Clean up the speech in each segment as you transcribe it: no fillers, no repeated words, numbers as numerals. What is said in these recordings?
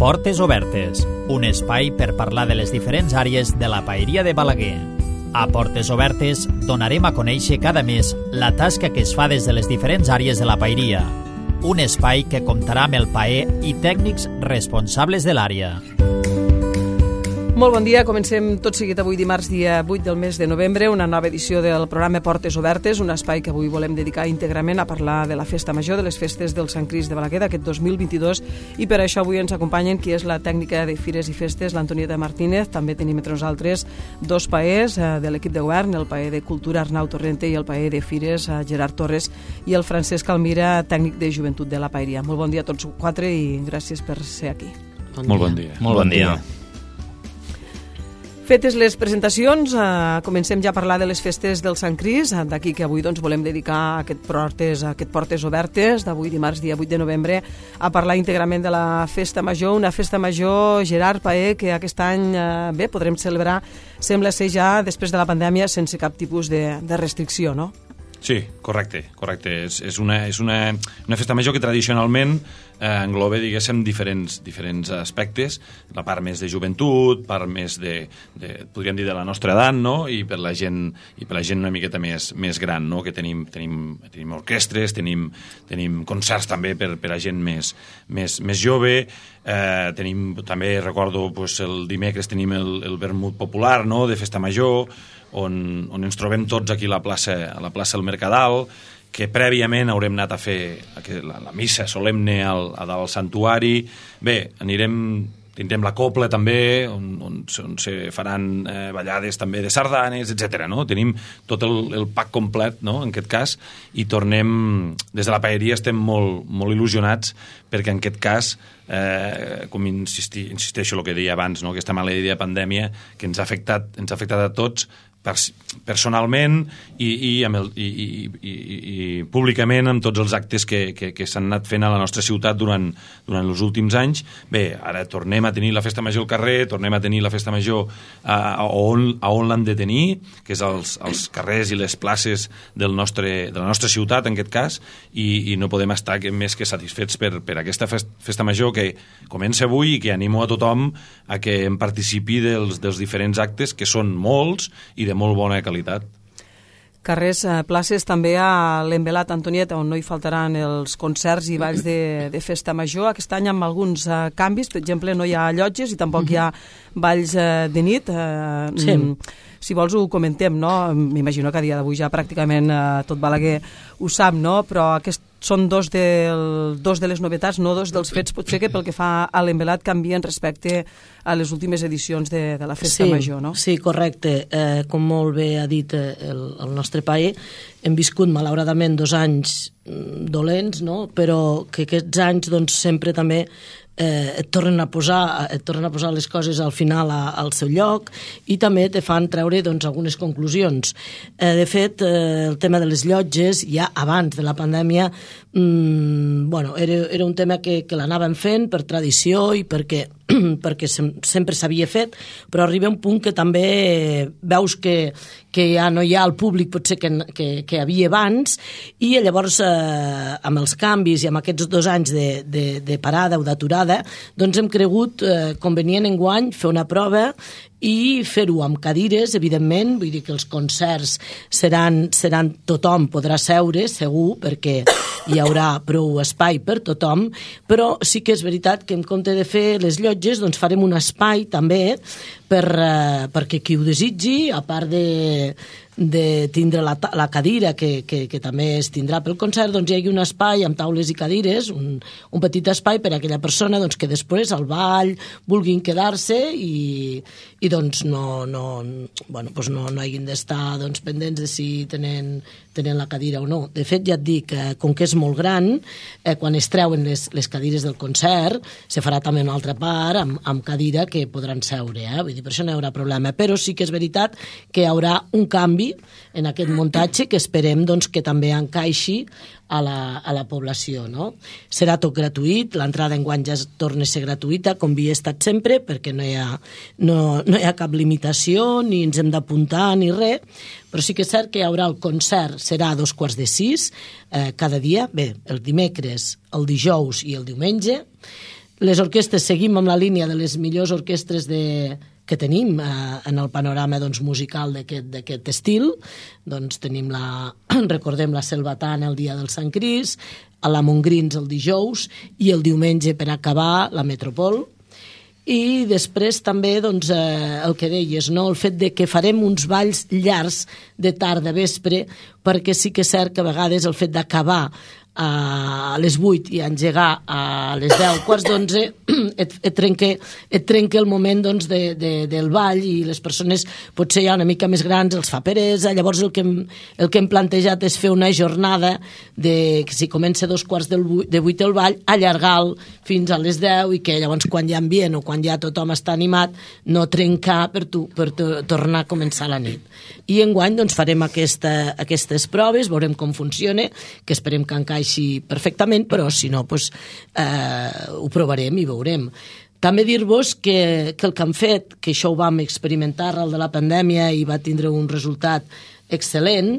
Portes Obertes, un espai per parlar de les diferents àrees de la paeria de Balaguer. A Portes Obertes donarem a conèixer cada mes la tasca que es fa des de les diferents àrees de la paeria. Un espai que comptarà amb el paer i tècnics responsables de l'àrea. Molt bon dia, comencem tot seguit avui dimarts, dia 8 del mes de novembre, una nova edició del programa Portes Obertes, un espai que avui volem dedicar íntegrament a parlar de la festa major, de les festes del Sant Crist de Balaguer d'aquest 2022, i per això avui ens acompanyen qui és la tècnica de Fires i Festes, l'Antonieta Martínez. També tenim entre nosaltres dos paers de l'equip de govern, el paer de Cultura Arnau Torrente i el paer de Fires Gerard Torres, i el Francesc Almira, tècnic de Joventut de la Paeria. Molt bon dia a tots quatre i gràcies per ser aquí. Molt bon dia. Molt bon dia. Fetes les presentacions, comencem ja a parlar de les festes del Sant Crist, d'aquí que avui volem dedicar aquest Portes Obertes d'avui dimarts, dia 8 de novembre, a parlar íntegrament de la festa major, una festa major, Gerard Paer, que aquest any podrem celebrar, sembla ser ja després de la pandèmia, sense cap tipus de restricció, no? Sí, correcte. És una festa major que tradicionalment engloba, diguéssim, diferents aspectes, la part més de joventut, part més podríem dir, de la nostra edat, no? I per la gent una miqueta més gran, no? Que tenim orquestres, tenim concerts també per a gent més jove, tenim també, recordo, el dimecres tenim el vermut popular, no? De festa major, on ens trobem tots aquí a la plaça del Mercadal, que prèviament haurem anat a fer la missa solemne a dalt al santuari. Bé, tindrem la copla també, on se faran ballades també de sardanes, etc. No? Tenim tot el pack complet, no? En aquest cas, i tornem, des de la paeria estem molt il·lusionats, perquè en aquest cas, com insisteixo el que deia abans, no? Aquesta maleïda pandèmia que ens ha afectat a tots, personalment i públicament amb tots els actes que s'han anat fent a la nostra ciutat durant els últims anys. Bé, ara tornem a tenir la festa major al carrer, tornem a tenir la festa major on l'hem de tenir, que és als carrers i les places de la nostra ciutat, en aquest cas, i no podem estar més que satisfets per aquesta festa major que comença avui i que animo a tothom a que en participi dels diferents actes, que són molts i de molt bona qualitat. Carrers, places també a l'Envelat, Antonieta, on no hi faltaran els concerts i balls de festa major. Aquest any amb alguns canvis, per exemple, no hi ha llotges i tampoc hi ha balls de nit. Sí. Si vols ho comentem, no? M'imagino que a dia d'avui ja pràcticament tot Balaguer ho sap, no? Però són dos de les novetats, no dos dels fets, potser que pel que fa a l'Envelat canvien respecte a les últimes edicions de la festa major, no? Sí, correcte. Com molt bé ha dit el nostre paer, hem viscut malauradament 2 anys dolents, no? Però que aquests anys sempre també et tornen a posar les coses al final al seu lloc i també te fan treure algunes conclusions. De fet, el tema de les llotges, ja abans de la pandèmia, era un tema que l'anàvem fent per tradició i perquè sempre s'havia fet, però arriba un punt que també veus que ja no hi ha el públic potser que hi havia abans, i llavors amb els canvis i amb aquests 2 anys de parada o d'aturada, doncs hem cregut convenient enguany fer una prova i fer-ho amb cadires, evidentment, vull dir que els concerts seran tothom podrà seure, segur, perquè hi haurà prou espai per tothom, però sí que és veritat que en compte de fer les llotges, doncs farem un espai també perquè qui ho desitgi, a part de tindre la cadira que també es tindrà pel concert, doncs hi ha un espai amb taules i cadires, un petit espai per a aquella persona que després al ball vulguin quedar-se i doncs no hagin d'estar pendents de si tenen la cadira o no. De fet, ja et dic, com que és molt gran, quan es treuen les cadires del concert, se farà també una altra part amb cadira que podran seure, vull dir, per això no hi haurà problema, però sí que és veritat que hi haurà un canvi en aquest muntatge que esperem que també encaixi a la població, no? Serà tot gratuït, l'entrada enguany ja torna a ser gratuïta, com havia estat sempre, perquè no hi ha cap limitació, ni ens hem d'apuntar ni res, però sí que és cert que hi haurà el concert, serà a 5:45 cada dia, bé, el dimecres, el dijous i el diumenge. les orquestres seguim amb la línia de les millors orquestres que tenim en el panorama musical d'aquest estil. Doncs tenim recordem la Selvatana el dia del Sant Crist, la Montgrins el dijous i el diumenge, per acabar, la Metropol. I després també el que deies, el fet de que farem uns balls llargs de tarda, vespre, perquè sí que és cert que a vegades el fet d'acabar a les 8 i engegar a les 10, quarts d'11, et trenca el moment del ball, i les persones potser ja una mica més grans els fa peresa. Llavors el que hem plantejat és fer una jornada que si comença 2:15 el ball, allargar-lo fins a les 10, i que llavors quan hi ha ambient o quan ja tothom està animat no trencar per tornar a començar la nit. I enguany farem aquestes proves, veurem com funciona, que esperem que encaixi perfectament, però si no ho provarem i veurem. També dir-vos que el que hem fet, que això ho vam experimentar arrel de la pandèmia i va tindre un resultat excel·lent,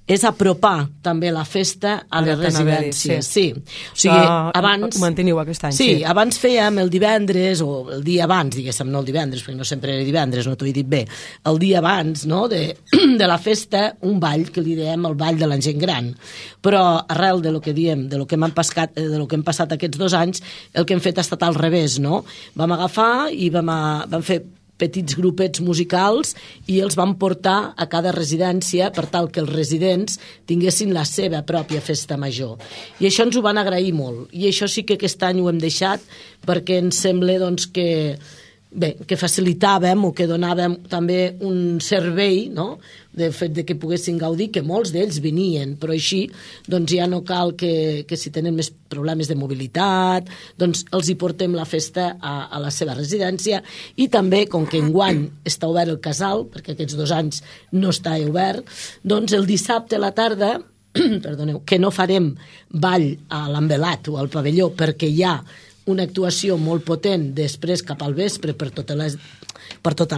és apropar també la festa a les residències. Sí. O sigui, abans... Ho manteniu aquest any. Sí, abans fèiem el divendres, o el dia abans, diguéssim, no el divendres, perquè no sempre era divendres, no t'ho he dit bé, el dia abans de la festa, un ball, que li dèiem el ball de la gent gran. Però arrel de lo que diem, de lo que hem passat aquests 2 anys, el que hem fet ha estat al revés, no? Vam agafar i vam fer petits grupets musicals i els van portar a cada residència per tal que els residents tinguessin la seva pròpia festa major. I això ens ho van agrair molt. I això sí que aquest any ho hem deixat perquè ens sembla que facilitàvem o que donàvem també un servei, no?, del fet que poguessin gaudir, que molts d'ells venien, però així ja no cal que si tenen més problemes de mobilitat, els hi portem la festa a la seva residència. I també, com que enguany està obert el casal, perquè aquests 2 anys no està obert, el dissabte a la tarda, perdoneu, que no farem ball a l'Envelat o al pavelló perquè hi ha una actuació molt potent després cap al vespre per tota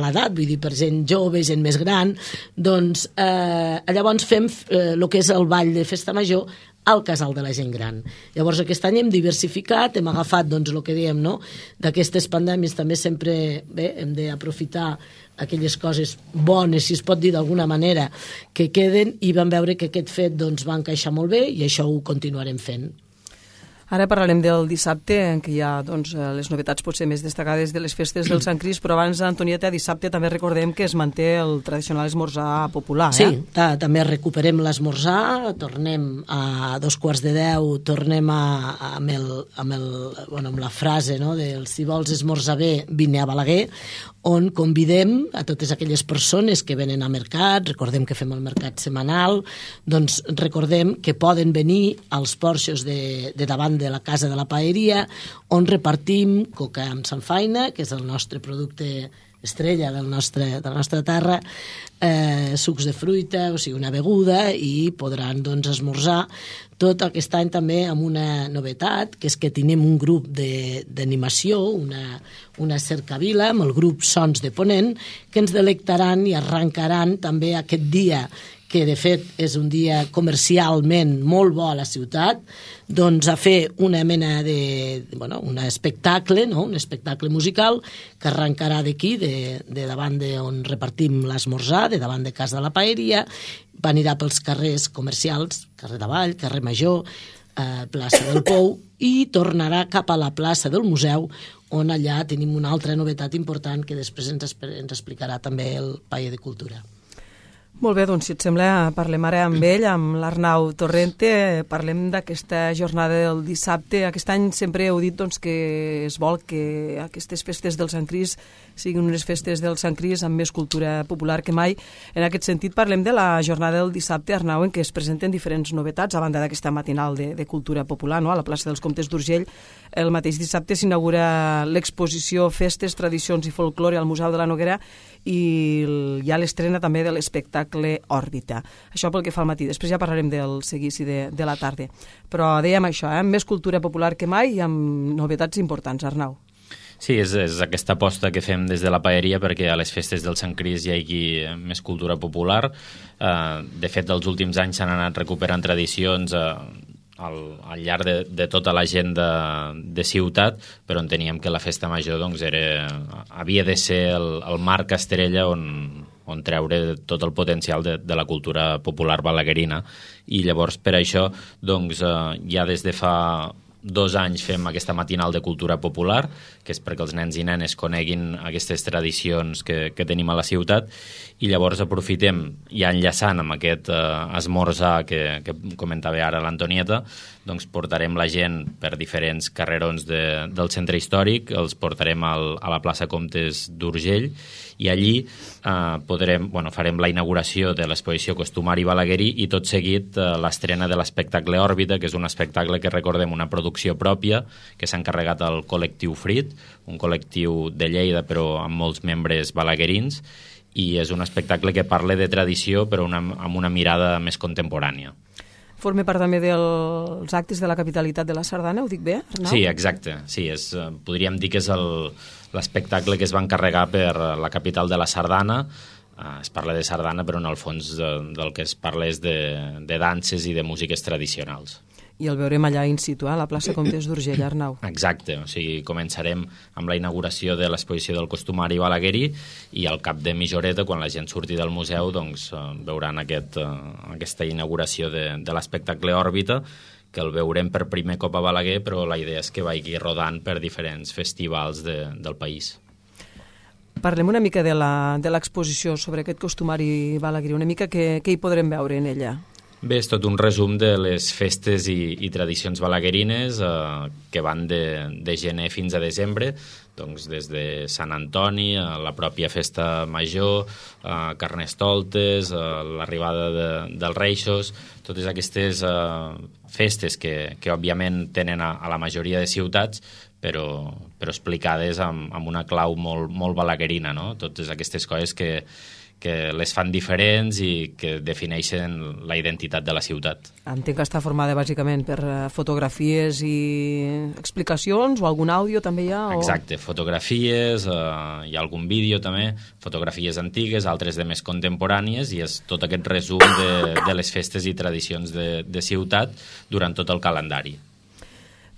l'edat, vull dir, per gent jove, gent més gran, llavors fem el que és el ball de festa major al casal de la gent gran. Llavors aquest any hem diversificat, hem agafat el que dèiem, no?, d'aquestes pandèmies també sempre hem d'aprofitar aquelles coses bones, si es pot dir d'alguna manera, que queden, i vam veure que aquest fet va encaixar molt bé i això ho continuarem fent. Ara parlarem del dissabte, en què hi ha les novetats potser més destacades de les festes del Sant Crist, però abans, Antonieta, dissabte també recordem que es manté el tradicional esmorzar popular. Sí, també recuperem l'esmorzar, tornem a 9:45, tornem amb la frase del si vols esmorzar bé, vine a Balaguer, on convidem a totes aquelles persones que venen a mercat, recordem que fem el mercat setmanal, recordem que poden venir als porxos de davant de la Casa de la Paeria, on repartim coca amb samfaina, que és el nostre producte estrella de la nostra terra, sucs de fruita, o sigui, una beguda, i podran esmorzar. Tot aquest any també amb una novetat, que és que tenim un grup d'animació, una cercavila, amb el grup Sons de Ponent, que ens delectaran i arrencaran també aquest dia, que de fet és un dia comercialment molt bo a la ciutat, a fer una mena un espectacle, no?, un espectacle musical que arrencarà d'aquí, de davant d'on repartim l'esmorzar, de davant de Casa de la Paeria, anirà pels carrers comercials, carrer Davall, carrer Major, plaça del Pou, i tornarà cap a la plaça del Museu, on allà tenim una altra novetat important que després ens explicarà també el Paller de Cultura. Molt bé, doncs si et sembla parlem ara amb ell, amb l'Arnau Torrente, parlem d'aquesta jornada del dissabte. Aquest any sempre heu dit que es vol que aquestes festes del Sant Crist siguin unes festes del Sant Crist amb més cultura popular que mai. En aquest sentit parlem de la jornada del dissabte, Arnau, en què es presenten diferents novetats, a banda d'aquesta matinal de cultura popular, no?, a la plaça dels Comtes d'Urgell. El mateix dissabte s'inaugura l'exposició Festes, Tradicions i Folklore al Museu de la Noguera i hi ha l'estrena també de l'espectacle Òrbita. Això pel que fa al matí. Després ja parlarem del seguici de la tarda. Però dèiem això, més cultura popular que mai i amb novetats importants, Arnau. Sí, és aquesta aposta que fem des de la Paeria perquè a les festes del Sant Crist hi hagi més cultura popular. De fet, els últims anys s'han anat recuperant tradicions al llarg de tota l'agenda de ciutat, però enteníem que la festa major doncs, havia de ser el marc estrella on treure tot el potencial de la cultura popular balaguerina. I llavors, per això, doncs, ja des de fa 2 anys fem aquesta matinal de cultura popular, que és perquè els nens i nenes coneguin aquestes tradicions que tenim a la ciutat, i llavors aprofitem, ja enllaçant amb aquest esmorzar que comentava ara l'Antonieta, doncs portarem la gent per diferents carrerons del centre històric, els portarem a la plaça Comtes d'Urgell, i allí farem la inauguració de l'exposició Costumari Balaguerí i tot seguit l'estrena de l'espectacle Òrbita, que és un espectacle que recordem una producció pròpia que s'ha encarregat al col·lectiu Frit, un col·lectiu de Lleida però amb molts membres balaguerins, i és un espectacle que parla de tradició però amb una mirada més contemporània. Forma part també dels actes de la capitalitat de la Sardana, ho dic bé, Arnau? Sí, exacte. Sí, podríem dir que és l'espectacle que es va encarregar per la capital de la Sardana. Es parla de sardana, però en el fons del que es parla és de danses i de músiques tradicionals. I el veurem allà in situ, a la plaça Comtes d'Urgell, Arnau. Exacte, o sigui, començarem amb la inauguració de l'exposició del Costumari Balaguerí i al cap de mitja horeta, quan la gent surti del museu, doncs veuran aquesta inauguració de l'espectacle Òrbita, que el veurem per primer cop a Balaguer, però la idea és que vagi rodant per diferents festivals del país. Parlem una mica de l'exposició sobre aquest costumari balaguerí, una mica què hi podrem veure en ella? Bé, és tot un resum de les festes i tradicions balaguerines que van de gener fins a desembre, doncs des de Sant Antoni, la pròpia festa major, Carnestoltes, l'arribada dels Reixos, totes aquestes festes que òbviament tenen a la majoria de ciutats, però explicades amb una clau molt balaguerina, no? Totes aquestes coses que les fan diferents i que defineixen la identitat de la ciutat. Entenc que està formada bàsicament per fotografies i explicacions, o algun àudio també hi ha? Exacte, fotografies, hi ha algun vídeo també, fotografies antigues, altres de més contemporànies, i és tot aquest resum de les festes i tradicions de ciutat durant tot el calendari.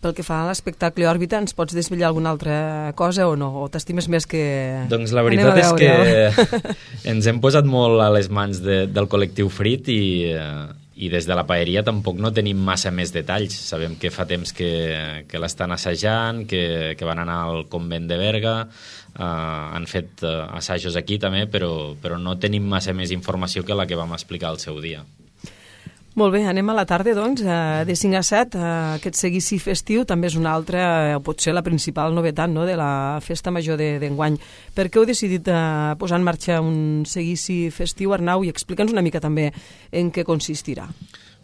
Pel que fa a l'espectacle Òrbita, ens pots desvetllar alguna altra cosa o no? O t'estimes més que... Doncs la veritat és que ens hem posat molt a les mans del col·lectiu Frit i des de la paeria tampoc no tenim massa més detalls. Sabem que fa temps que l'estan assajant, que van anar al convent de Berga, han fet assajos aquí també, però no tenim massa més informació que la que vam explicar al seu dia. Molt bé, anem a la tarda, doncs, de 5 a 7. Aquest seguici festiu també és una altra, o potser la principal novetat, no?, de la festa major d'enguany. Per què heu decidit posar en marxa un seguici festiu, Arnau, i explica'ns una mica també en què consistirà?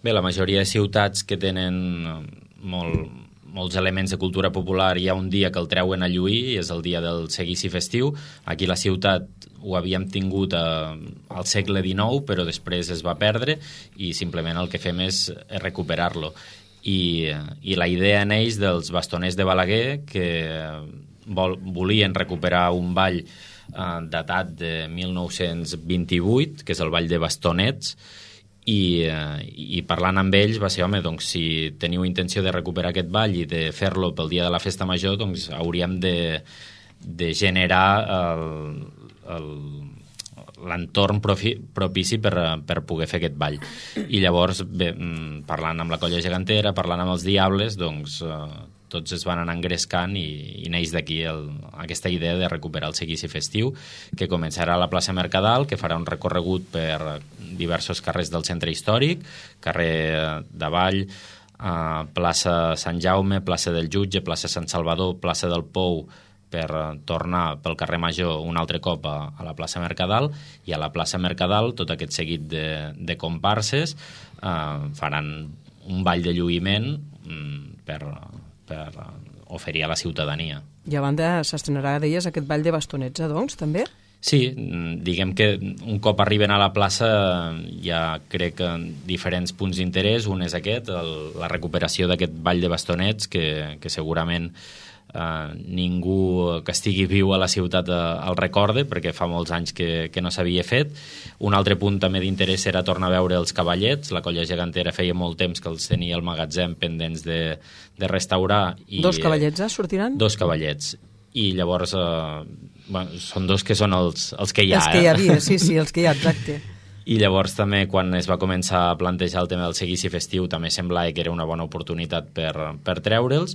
Bé, la majoria de ciutats que tenen molts elements de cultura popular, hi ha un dia que el treuen a lluir, és el dia del seguici festiu. Aquí la ciutat ho havíem tingut al segle XIX, però després es va perdre i simplement el que fem és recuperar-lo. I la idea neix dels bastoners de Balaguer, que volien recuperar un ball datat de 1928, que és el ball de bastonets, i parlant amb ells va ser, home, doncs si teniu intenció de recuperar aquest ball i de fer-lo pel dia de la festa major, doncs hauríem de generar l'entorn propici per poder fer aquest ball. I llavors, bé, parlant amb la Colla Gegantera, parlant amb els Diables, doncs tots es van anar engrescant i neix d'aquí aquesta idea de recuperar el seguici festiu, que començarà a la plaça Mercadal, que farà un recorregut per diversos carrers del centre històric, carrer d'Avall, plaça Sant Jaume, plaça del Jutge, plaça Sant Salvador, plaça del Pou, per tornar pel carrer Major un altre cop a la plaça Mercadal, i a la plaça Mercadal tot aquest seguit de comparses faran un ball de lluïment per oferir a la ciutadania. I a banda s'estrenarà, deies, aquest ball de bastonets, doncs, també? Sí, diguem que un cop arriben a la plaça ja crec que diferents punts d'interès. Un és aquest, la recuperació d'aquest ball de bastonets, que segurament ningú que estigui viu a la ciutat el recorde, perquè fa molts anys que no s'havia fet. Un altre punt també d'interès era tornar a veure els cavallets. La Colla Gegantera feia molt temps que els tenia al magatzem pendents de restaurar. Dos cavallets, sortiran? Dos cavallets. I llavors són dos que són els que hi ha. Els que hi havia, sí, els que hi ha, exacte. I llavors també quan es va començar a plantejar el tema del seguici festiu també semblava que era una bona oportunitat per treure'ls,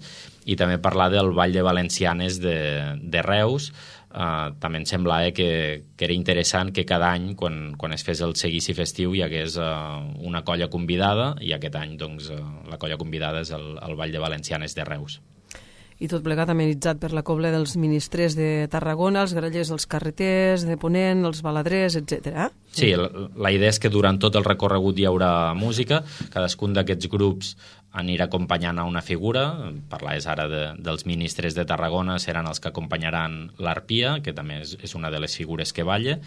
i també parlar del Ball de Valencianes de Reus. També em semblava que era interessant que cada any quan es fes el seguici festiu hi hagués una colla convidada, i aquest any doncs, la colla convidada és el Ball de Valencianes de Reus. I tot plegat amenitzat per la cobla dels ministrers de Tarragona, els grallers dels carreters, de Ponent, els baladrers, etc. Sí, la idea és que durant tot el recorregut hi haurà música, cadascun d'aquests grups anirà acompanyant a una figura. Parlaves ara dels ministres de Tarragona, seran els que acompanyaran l'Arpia, que també és una de les figures que balla,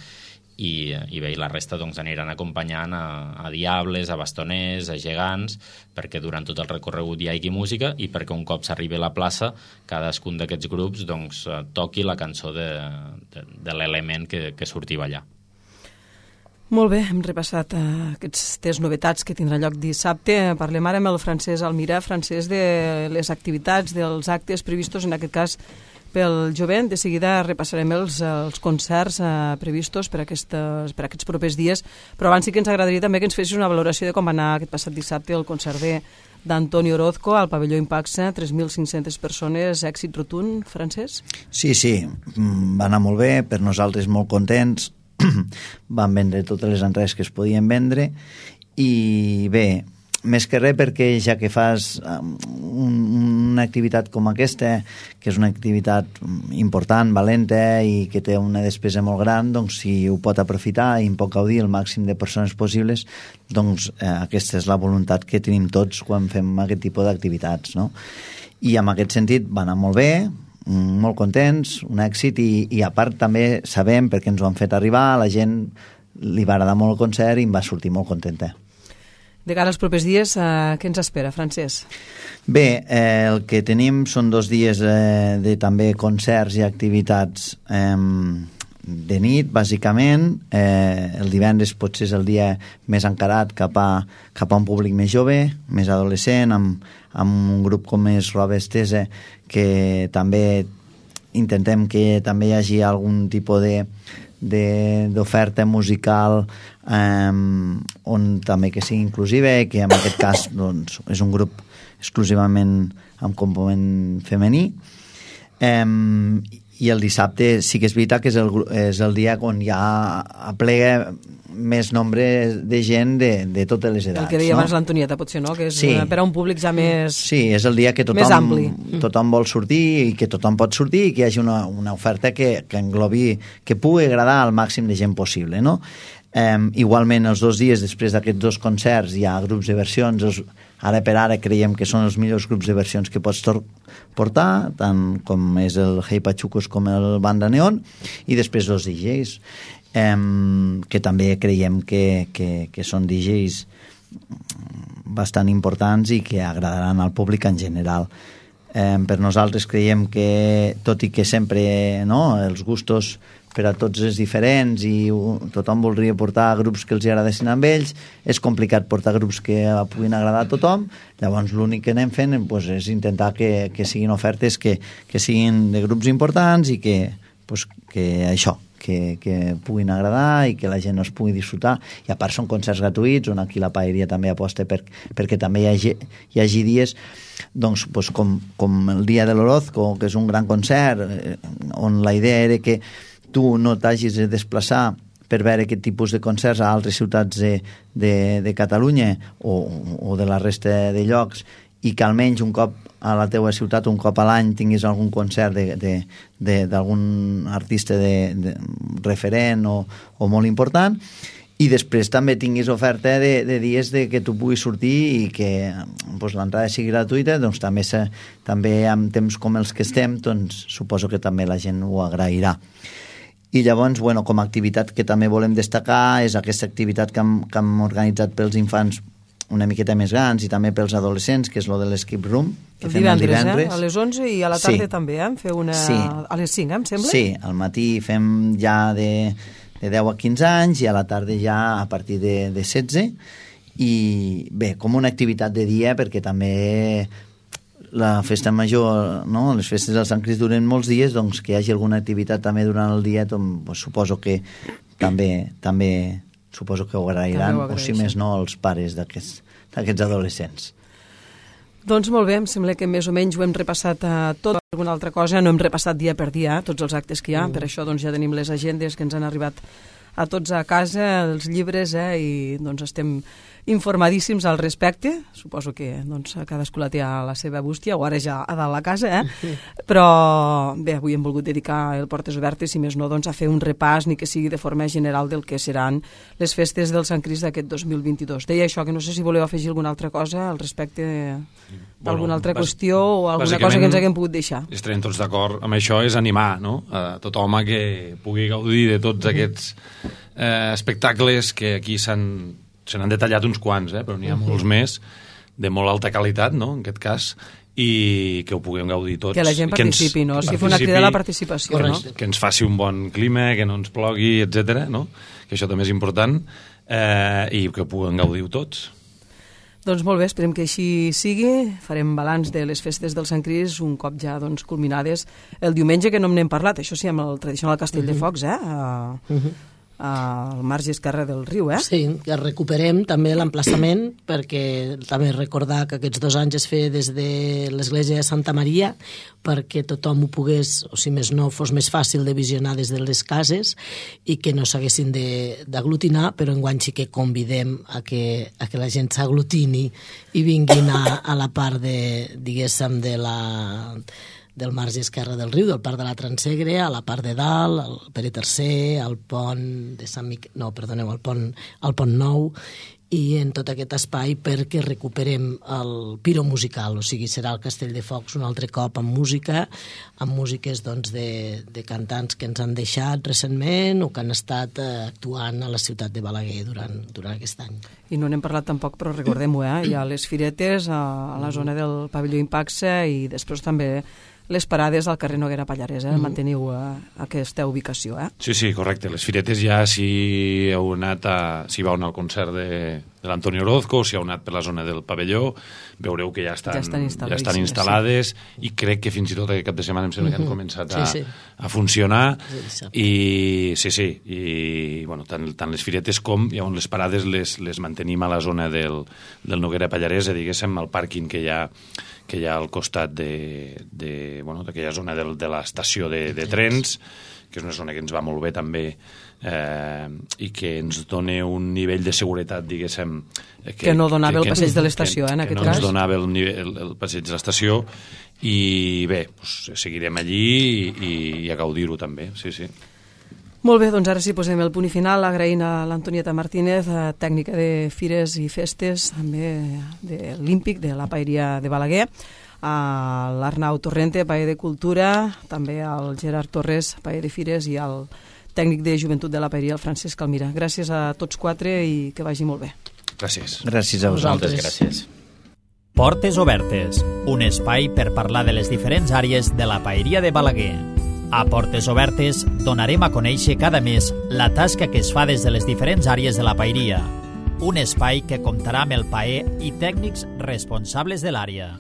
i bé, i la resta doncs, aniran acompanyant a diables, a bastoners, a gegants, perquè durant tot el recorregut hi hagi música i perquè un cop s'arribi a la plaça cadascun d'aquests grups doncs, toqui la cançó de l'element que surti a ballar. Molt bé, hem repassat aquestes novetats que tindrà lloc dissabte. Parlem ara amb el Francesc Almirà, Francesc, de les activitats, dels actes previstos, en aquest cas pel jovent. De seguida repassarem els concerts previstos per aquests propers dies, però abans sí que ens agradaria també que ens fessis una valoració de com va anar aquest passat dissabte el concert d'Antoni Orozco al pavelló Impaxa, 3.500 persones, èxit rotund, Francesc? Sí, va anar molt bé, per nosaltres molt contents, van vendre totes les entrades que es podien vendre, i bé, més que res perquè ja que fas una activitat com aquesta, que és una activitat important, valenta i que té una despesa molt gran, doncs si ho pot aprofitar i en pot gaudir el màxim de persones possibles, doncs aquesta és la voluntat que tenim tots quan fem aquest tipus d'activitats, no? I en aquest sentit va anar molt bé, molt contents, un èxit, i a part també sabem, perquè ens ho han fet arribar, a la gent li va agradar molt el concert i em va sortir molt contenta. De cara als propers dies, què ens espera, Francesc? Bé, el que tenim són 2 dies de també concerts i activitats de nit, bàsicament. El divendres potser és el dia més encarat cap a un públic més jove, més adolescent, amb un grup com és Roba Estesa, que també intentem que també hi hagi algun tipus d'oferta musical on també que sigui inclusiva, que en aquest cas doncs, és un grup exclusivament amb component femení. I el dissabte sí que és veritat que és el dia on ja aplega més nombre de gent de totes les edats. El que deia abans l'Antonieta, potser, no? Que és per a un públic ja més... Sí, és el dia que tothom vol sortir i que tothom pot sortir i que hi hagi una oferta que englobi, que pugui agradar al màxim de gent possible, no? Igualment, els 2 dies després d'aquests 2 concerts hi ha grups de versions. Ara per ara creiem que són els millors grups de versions que pots portar, tant com és el Hey Pachucos com el Banda Neon, i després 2 DJs, que també creiem que són DJs bastant importants i que agradaran al públic en general. Per nosaltres creiem que, tot i que sempre els gustos per a tots és diferents i tothom voldria portar grups que els agradessin amb ells, és complicat portar grups que puguin agradar a tothom. Llavors l'únic que anem fent és intentar que siguin ofertes que siguin de grups importants i que puguin agradar i que la gent es pugui disfrutar. I a part són concerts gratuïts, on aquí la Paeria també aposta perquè també hi hagi dies doncs, com el dia de l'Orozco, que és un gran concert, on la idea era que tu no t'hagis de desplaçar per veure aquest tipus de concerts a altres ciutats de Catalunya o de la resta de llocs, i que almenys un cop a la teua ciutat, un cop a l'any, tinguis algun concert d'algun artista referent o molt important, i després també tinguis oferta de dies que tu puguis sortir i que l'entrada sigui gratuïta. Doncs també en temps com els que estem, doncs suposo que també la gent ho agrairà. I llavors, com a activitat que també volem destacar és aquesta activitat que hem organitzat pels infants una miqueta més grans i també pels adolescents, que és lo de l'Escape Room, que fem divendres, els divendres. a les 11 i a la tarda també, feu una... A les 5, em sembla? Sí, al matí fem ja de 10 a 15 anys i a la tarda ja a partir de 16. I bé, com una activitat de dia, perquè també la festa major, no? Les festes del Sant Crist duren molts dies, doncs que hi hagi alguna activitat també durant el dia, doncs, suposo que també suposo que ho agrairan, o si més no, els pares d'aquests adolescents. Doncs molt bé, em sembla que més o menys ho hem repassat tot. Alguna altra cosa, no hem repassat dia per dia tots els actes que hi ha, per això doncs, ja tenim les agendes que ens han arribat a tots a casa, els llibres, i doncs estem informadíssims al respecte. Suposo que doncs, cadascú la té a la seva bústia, o ara ja a dalt la casa, però bé, avui hem volgut dedicar el Portes Obertes, si més no, doncs, a fer un repàs, ni que sigui de forma general, del que seran les festes del Sant Crist d'aquest 2022. Deia això, que no sé si voleu afegir alguna altra cosa al respecte d'alguna altra qüestió o alguna cosa que ens haguem pogut deixar. Estarem tots d'acord amb això, és animar, no?, a tothom a que pugui gaudir de tots aquests espectacles que aquí se n'han detallat uns quants, però n'hi ha molts més, de molt alta qualitat, no?, en aquest cas, i que ho puguem gaudir tots. Que la gent participi, no? Si fa una crida a la participació, no? Que ens faci un bon clima, que no ens plogui, etc., no?, que això també és important, i que ho puguem gaudir tots. Doncs molt bé, esperem que així sigui. Farem balanç de les festes del Sant Crist un cop ja doncs, culminades el diumenge, que no n'hem parlat, això sí, amb el tradicional Castell de Focs, al marge esquerre del riu, Sí, que recuperem també l'emplaçament, perquè també recordar que aquests 2 anys es feia des de l'església de Santa Maria, perquè tothom ho pogués, o si més no, fos més fàcil de visionar des de les cases i que no s'haguessin d'aglutinar, però enguany sí que convidem a que la gent s'aglutini i vinguin a la part diguéssim, del marge esquerre del riu, del parc de la Transegre, a la part de dalt, al Pere III, al pont de Sant Miquel, no, perdoneu, al pont Nou, i en tot aquest espai perquè recuperem el piro musical, o sigui, serà el Castell de Focs un altre cop amb música, amb músiques doncs, de cantants que ens han deixat recentment o que han estat actuant a la ciutat de Balaguer durant aquest any. I no n'hem parlat tampoc, però recordem-ho, hi ha les firetes a la zona del pavelló Impaxa i després també les parades al carrer Noguera Pallarès, manteniu aquesta ubicació, Sí, correcte. Les firetes ja si vau anar al concert de l'Antonio Orozco, si heu anat per la zona del pavelló, veureu que ja estan instal·lades, i crec que fins i tot aquest cap de setmana em sembla que han començat a funcionar, i i bueno, tant les firetes com les parades les mantenim a la zona del Noguera Pallarès, diguéssim, al pàrquing que hi ha al costat d'aquella zona de l'estació de trens, que és una zona que ens va molt bé també, i que ens dona un nivell de seguretat, diguéssim... Que no donava el passeig de l'estació, en aquest cas. Que no ens donava el passeig de l'estació, i bé, seguirem allí i a gaudir-ho també, sí. Molt bé, doncs ara sí posem el punt i final, agraint a l'Antonieta Martínez, tècnica de fires i festes, també de l'Ímpic, de la Paeria de Balaguer, a l'Arnau Torrente, Paer de Cultura, també al Gerard Torres, Paer de Fires, i al tècnic de Joventut de la Paeria, el Francesc Almira. Gràcies a tots 4 i que vagi molt bé. Gràcies. Gràcies a vosaltres. Gràcies. Portes Obertes, un espai per parlar de les diferents àrees de la Paeria de Balaguer. A Portes Obertes donarem a conèixer cada mes la tasca que es fa des de les diferents àrees de la paeria. Un espai que comptarà amb el paer i tècnics responsables de l'àrea.